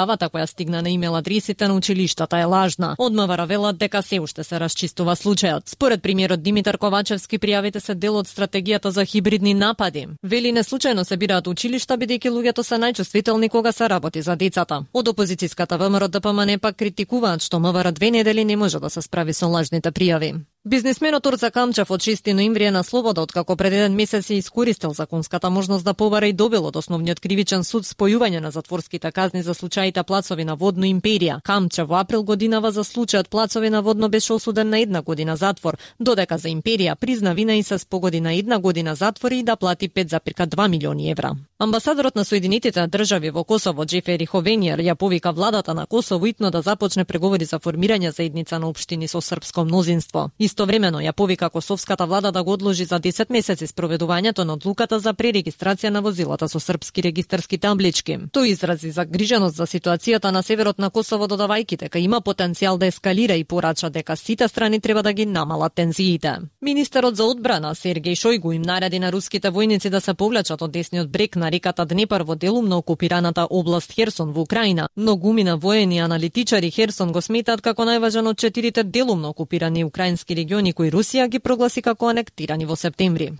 Авата која стигна на имейл адресите на училиштата е лажна. Од МВР велат дека се уште се расчистува случајот. Според премиерот Димитар Ковачевски, пријавите се дел од стратегијата за хибридни напади. Вели не случајно се бираат училишта бидејќи луѓето се најчувствителни кога се работи за децата. Од опозицијската ВМРО ДПМН пак критикуваат што МВР 2 недели не може да се справи со лажните пријави. Бизнисменот Орца Камчев од 6 ноември е на слобода откако пред еден месец ја искористил законската можност да побара и добил од основниот кривичен суд спојување на затворските казни за случаите Плацови на Водно Империја. Камчев во април годинава за случајот Плацови на Водно беше осуден на 1 година затвор, додека за Империја призна вина и се спогоди на 1 година затвор и да плати 5,2 милиони евра. Амбасадорот на Соединетите држави во Косово Џефери Ховениер ја повика владата на Косово итно да започне преговори за формирање заедница на општини со српско мнозинство. Истовремено ја повика косовската влада да го одложи за 10 месеци спроведувањето на одлуката за пререгистрација на возилата со српски регистарски таблички. Тој изрази загриженост за ситуацијата на северот на Косово, додавајќи дека има потенцијал да ескалира и порача дека сите страни треба да ги намалат тензиите. Министерот за одбрана Сергеј Шојгу им нареди на руските војници да се повлечат од десниот брег на реката Днепар во делумно окупираната област Херсон во Украина. Многумина воени аналитичари Херсон го сметаат како најважен од 4 делумно окупирани украински региони кои Русија ги прогласи како анектирани во септември.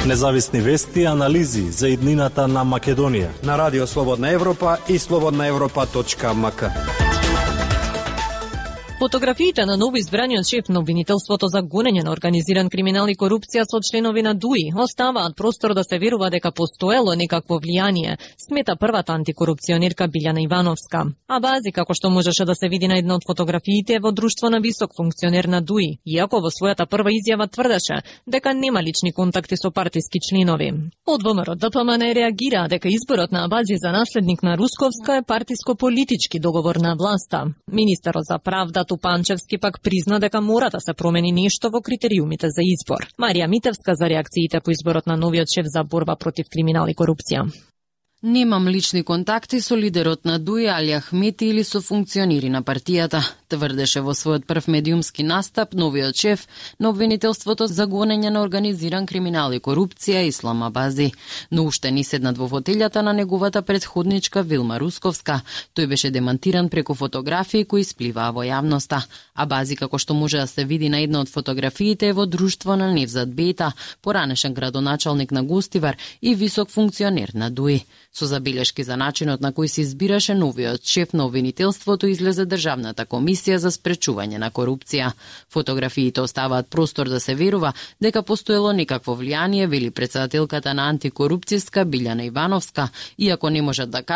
Независни вести и анализи за иднината на Македонија на Радио Слободна Европа и slobodnaevropa.mk. Фотографиите на новоизбраниот шеф на обвинителството за гонење на организиран криминал и корупција со членови на ДУИ оставаат простор да се верува дека постоело некакво влијание, смета првата антикорупционерка Билјана Ивановска. А бази, како што можеше да се види на една од фотографиите, е во друштво на висок функционер на ДУИ, иако во својата прва изјава тврдеше дека нема лични контакти со партиски членови. Од ВМРО ДПМН реагира дека изборот на Абази за наследник на Русковска е партиско-политички договор на власта. Министерот за правда Тупанчевски пак призна дека мора да се промени нешто во критериумите за избор. Марија Митевска за реакциите по изборот на новиот шеф за борба против криминал и корупција. Немам лични контакти со лидерот на ДУИ Али Ахмети или со функционери на партијата, тврдеше во својот прв медиумски настап новиот шеф на обвинителството за гонење на организиран криминал и корупција Ислам Абази. Но уште не седнат во фотелјата на неговата предходничка Вилма Русковска. Тој беше демантиран преку фотографии кои спливаа во јавноста. Абази, како што може да се види на една од фотографиите, е во друштво на Невзат Бета, поранешен градоначалник на Гостивар и висок функционер на ДУИ. Со забелешки за начинот на кој се избираше новиот шеф на обвинителството излезе Државната комисија за спречување на корупција. Фотографиите оставаат простор да се верува дека постоело некакво влијание, вели претседателката на антикорупцијска Билјана Ивановска, иако не можат да